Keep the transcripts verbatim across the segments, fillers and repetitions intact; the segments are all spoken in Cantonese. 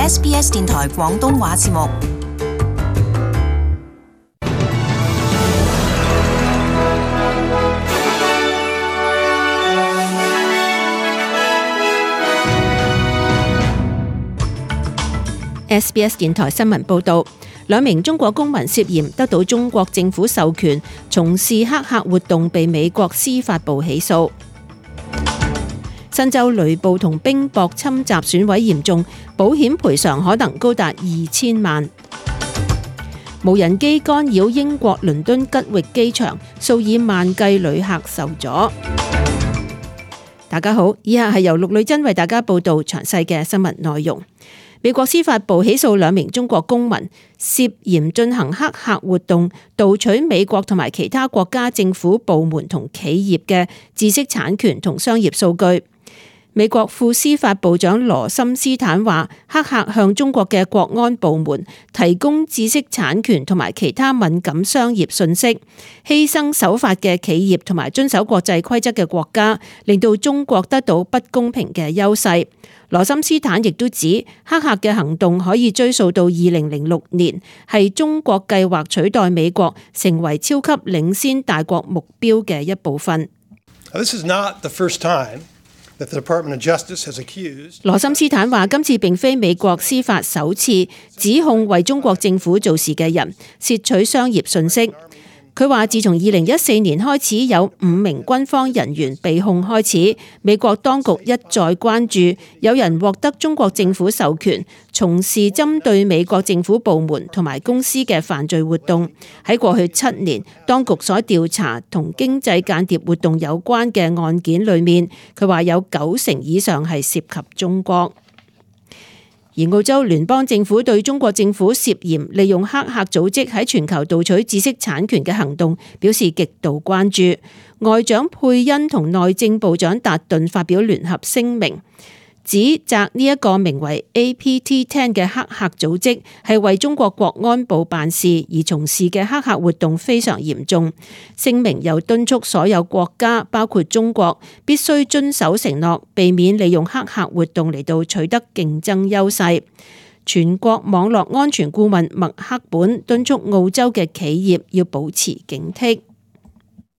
S B S 電台廣東話節目。S B S 電台新聞報道，兩名中國公民涉嫌得到中國政府授權從事黑客活動，被美國司法部起訴。新州雷暴同冰雹侵襲損毀嚴重，保險賠償可能高達二千萬。無人機干擾英國倫敦吉域機場，數以萬計旅客受阻。大家好，以下係由陸女真為大家報道詳細嘅新聞內容。美國司法部起訴兩名中國公民，涉嫌進行黑客活動，盜取美國同埋其他國家政府部門同企業嘅知識產權同商業數據。美國副司法部長羅森斯坦話，黑客向中國嘅國安部門提供知識產權同埋其他敏感商業信息，犧牲守法嘅企業同埋遵守國際規則嘅國家，令到中國得到不公平嘅優勢。羅森斯坦亦都指，黑客嘅行動可以追溯到二零零六年，係中國計劃取代美國成為超級領先大國目標嘅一部分。This is not the first time that the Department of Justice has accused. 羅森斯坦話，今次並非美國司法首次指控為中國政府做事嘅人竊取商業信息。佢話，自從二零一四年開始有五名軍方人員被控開始，美國當局一再關注有人獲得中國政府授權從事針對美國政府部門同埋公司嘅犯罪活動。喺過去七年，當局所調查同經濟間諜活動有關嘅案件裏面，佢話有九成以上係涉及中國。而澳洲聯邦政府對中國政府涉嫌利用黑客組織喺全球盜取知識產權嘅行動表示極度關注。外長佩恩同內政部長達頓發表聯合聲明，指責呢一個名為 A P T 十嘅黑客組織係為中國國安部辦事而從事嘅黑客活動非常嚴重。聲明又敦促所有國家，包括中國，必須遵守承諾，避免利用黑客活動嚟到取得競爭優勢。全國網絡安全顧問麥克本敦促澳洲嘅企業要保持警惕。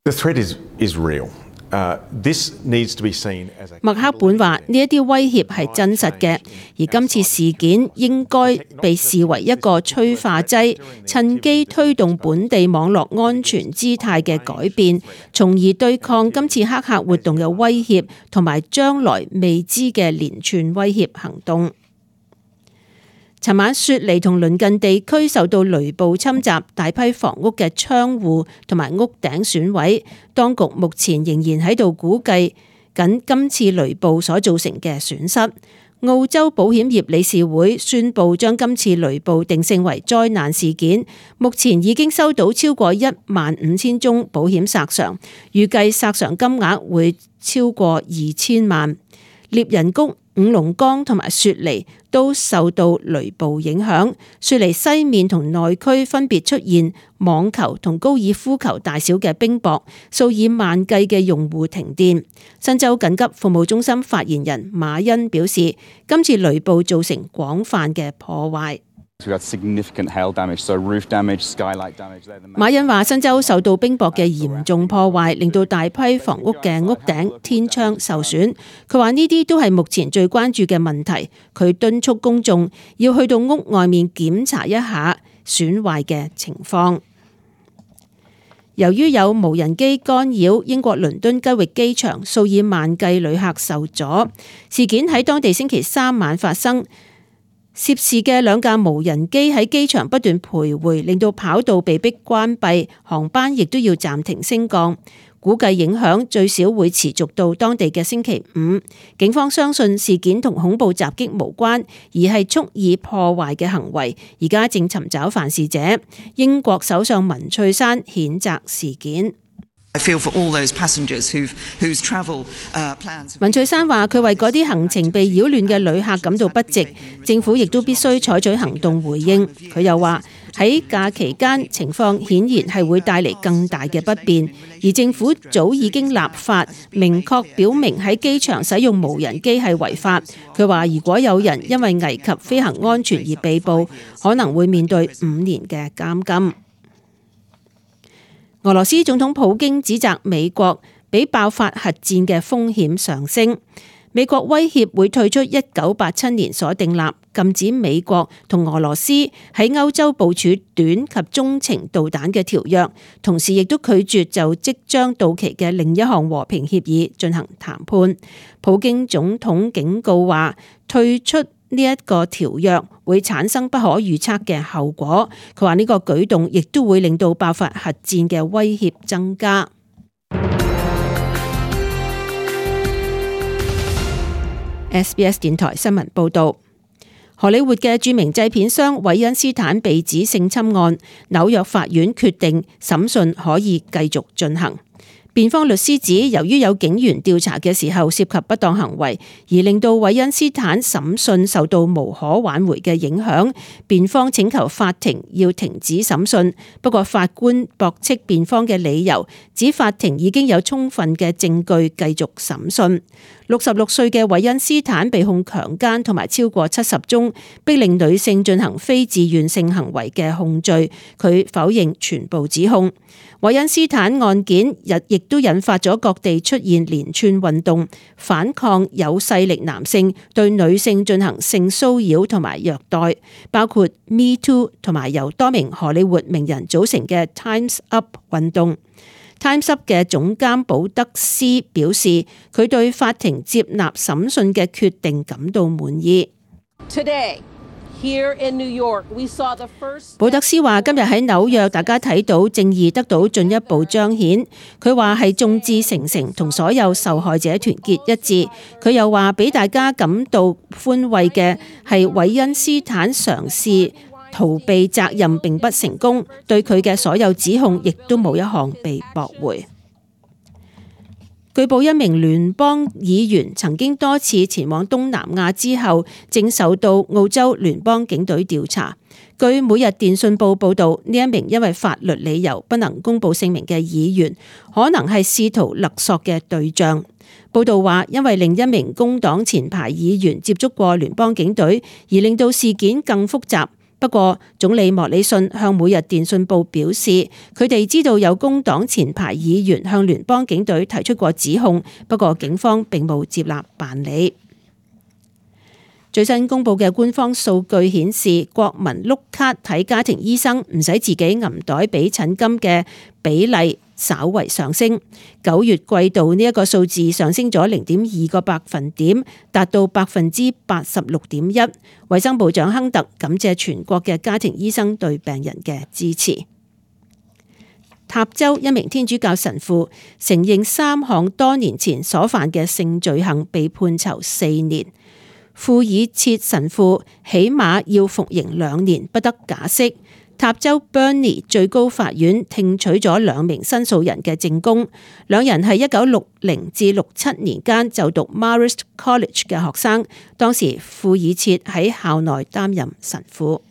The threat is, is real. Uh, this needs to be seen as a... 麥克本話：呢一啲威脅係真實嘅，而今次事件應該被視為一個催化劑，趁機推動本地網絡安全姿態嘅改變，從而對抗今次黑客活動嘅威脅同埋將來未知嘅連串威脅行動。尋晚雪梨同鄰近地區受到雷暴侵襲，大批房屋嘅窗戶同埋屋頂損毀。當局目前仍然喺度估計緊今次雷暴所造成嘅損失。澳洲保險業理事會宣布將今次雷暴定性為災難事件，目前已經收到超過一萬五千宗保險索償，預計索償金額會超過二千萬。獵人谷、五龍崗同埋雪梨都受到雷暴影響，雪梨西面同內區分別出現網球同高爾夫球大小嘅冰雹，數以萬計嘅用戶停電。新州緊急服務中心發言人馬恩表示，今次雷暴造成廣泛嘅破壞。馬恩話，新州受到冰雹嘅嚴重破壞，令到大批房屋嘅屋頂、天窗受損。佢話呢啲都係目前最關注嘅問題。佢敦促公眾要去到屋外面檢查一下損壞嘅情況。由於有無人機干擾英國倫敦吉域機場，數以萬計旅客受阻。事件喺當地星期三晚發生。涉事嘅兩架無人機喺機場不斷徘徊，令到跑道被迫關閉，航班亦都要暫停升降。估計影響最少會持續到當地嘅星期五。警方相信事件同恐怖襲擊無關，而係蓄意破壞嘅行為。而家正尋找犯事者。英國首相文翠珊譴責事件。文翠珊話：佢為嗰啲行程被擾亂嘅旅客感到不值，政府亦都必須採取行動回應。佢又話喺假期間情況顯然係會帶嚟更大嘅不便，而政府早已經立法明確表明喺機場使用無人機係違法。佢話如果有人因為危及飛行安全而被捕，可能會面對五年嘅監禁。俄羅斯總統普京指責美國比爆發核戰嘅風險上升。美國威脅會退出一九八七年所訂立禁止美國同俄羅斯喺歐洲部署短及中程導彈嘅條約，同時亦都拒絕就即將到期嘅另一項和平協議進行談判。普京總統警告話，退出呢一個條約會產生不可預測嘅後果。佢話呢個舉動亦都會令到爆發核戰嘅威脅增加。S B S 電台新聞報道，荷里活嘅著名製片商韋恩斯坦被指性侵案，紐約法院決定審訊可以繼續進行。辯方律師指，由於有警員調查嘅時候涉及不當行為，而令到韋恩斯坦審訊受到無可挽回嘅影響，辯方請求法庭要停止審訊。不過法官駁斥辯方嘅理由，指法庭已經有充分嘅證據繼續審訊。六十六歲嘅韋恩斯坦被控強姦同埋超過七十宗逼令女性進行非自願性行為嘅控罪，佢否認全部指控。韋恩斯坦案件日亦都引發咗各地出現連串運動，反抗有勢力男性對女性進行性騷擾同埋虐待，包括 Me Too 同埋由多名荷里活名人組成嘅 Time's Up 運動。Time's Up 嘅總監保德斯表示，佢對法庭接納審訊嘅決定感到滿意。Today, here in New York, we saw the first... 保德斯話：今日喺紐約，大家睇到正義得到進一步彰顯。佢話係眾志成城，同所有受害者團結一致。佢又話俾大家感到寬慰嘅係韋恩斯坦嘗試逃避責任並不成功，對佢嘅所有指控亦都冇一項被駁回。據報一名聯邦議員曾經多次前往東南亞之後，正受到澳洲聯邦警隊調查。據每日電訊報報導，呢一名因為法律理由不能公佈姓名嘅議員，可能係試圖勒索嘅對象。報導話，因為另一名工黨前排議員接觸過聯邦警隊，而令到事件更複雜。不過，總理莫里遜向每日電訊報表示，佢哋知道有工黨前排議員向聯邦警隊提出過指控，不過警方並冇接納辦理。最新公布嘅官方數據顯示，國民碌卡睇家庭醫生唔使自己銀袋俾診金嘅比例稍為上升。九月季度呢一個數字上升咗零點二個百分點，達到百分之八十六點一。衛生部長亨特感謝全國嘅家庭醫生對病人嘅支持。塔州一名天主教神父承認三項多年前所犯嘅性罪行，被判囚四年。庫爾切神父起碼要服刑兩年，不得假釋。塔州 Burnie 最高法院聽取咗兩名申訴人嘅證供，兩人係一九六零至六七年間就讀 Marist College 嘅學生，當時庫爾切喺校內擔任神父。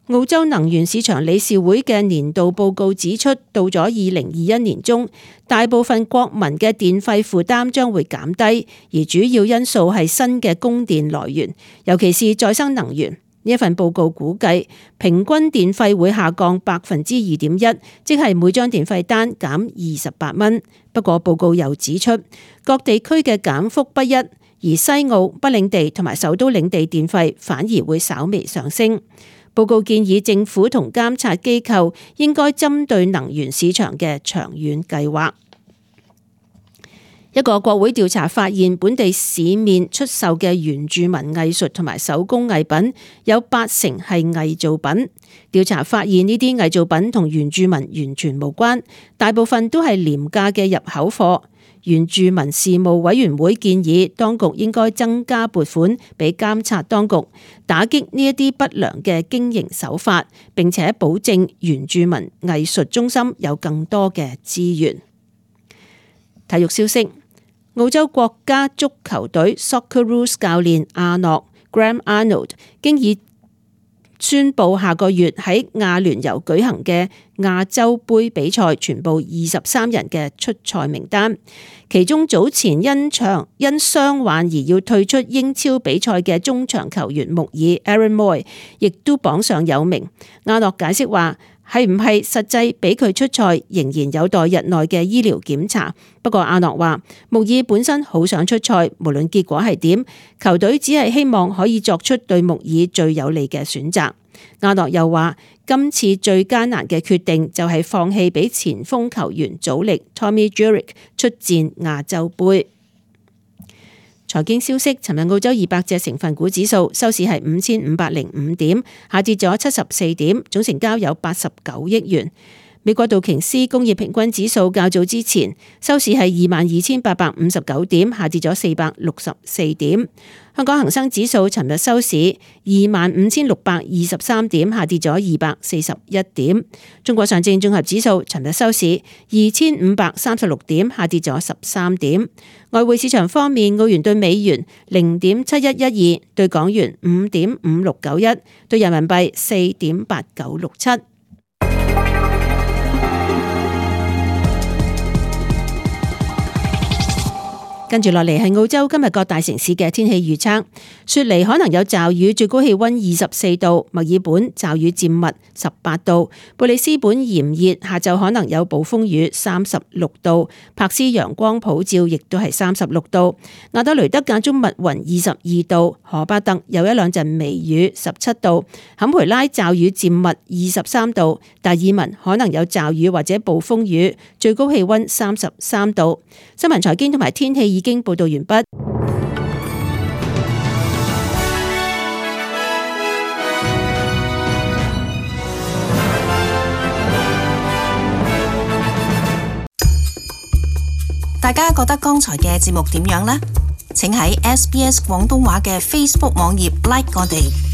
澳洲能源市場理事會嘅年度報告指出，到咗二零二一年中，大部分國民嘅電費負擔將會減低，而主要因素係新嘅供電來源，尤其是再生能源。呢一份報告估計，平均電費會下降百分之二點一，即係每張電費單減二十八蚊。不過報告又指出，各地區嘅減幅不一，而西澳、北領地同埋首都領地電費反而會稍微上升。報告建議政府同監察機構應該針對能源市場嘅長遠計劃。一個國會調查發現，本地市面出售嘅原住民藝術同埋手工藝品有八成係偽造品。調查發現呢啲偽造品同原住民完全無關，大部分都係廉價嘅入口貨。原住民事務委員會建議當局應該增加撥款俾監察當局，打擊呢一啲不良嘅經營手法，並且保證原住民藝術中心有更多嘅資源。體育消息，澳洲國家足球隊 Socceroos 教練阿諾 Graham Arnold 經已宣布下個月喺亞聯酋舉行嘅亞洲盃比賽全部二十三人嘅出賽名單，其中早前因場因傷患而要退出英超比賽嘅中場球員穆爾 Aaron Moy 亦都榜上有名。阿諾解釋話，係唔係實際俾佢出賽仍然有待日內嘅醫療檢查。不過阿諾話，穆爾本身好想出賽，無論結果係點，球隊只係希望可以作出對穆爾最有利嘅選擇。阿諾又話，今次最艱難嘅決定就係放棄俾前鋒球員祖力 Tommy Juric 出戰亞洲盃。財經消息，尋日澳洲二百隻成分股指數收市係五千五百零五點，下跌咗七十四點，總成交有八十九億元。美國道瓊斯工業平均指數較早之前收市係二萬二千八百五十九點，下跌咗四百六十四點。香港恒生指數尋日收市二萬五千六百二十三點，下跌咗二百四十一點。中國上證綜合指數尋日收市二千五百三十六點，下跌咗十三點。外匯市場方面，澳元對美元零點七一一二，對港元五點五六九一，對人民幣四點八九六七。跟住落嚟係澳洲今日各大城市嘅天氣預測。雪梨可能有驟雨，最高氣溫二十四度；墨爾本驟雨漸密，十八度；布里斯本炎熱，下晝可能有暴風雨，三十六度；柏斯陽光普照，亦都係三十六度；亞德雷德間中密雲，二十二度；荷巴特有一兩陣微雨，十七度；坎培拉驟雨漸密，二十三度；達爾文可能有驟雨或者暴風雨，最高氣溫三十三度。新聞財經同埋天氣已經報道完畢。大家覺得剛才嘅節目點樣呢？請喺 S B S 廣東話嘅 Facebook 網頁 like 我哋。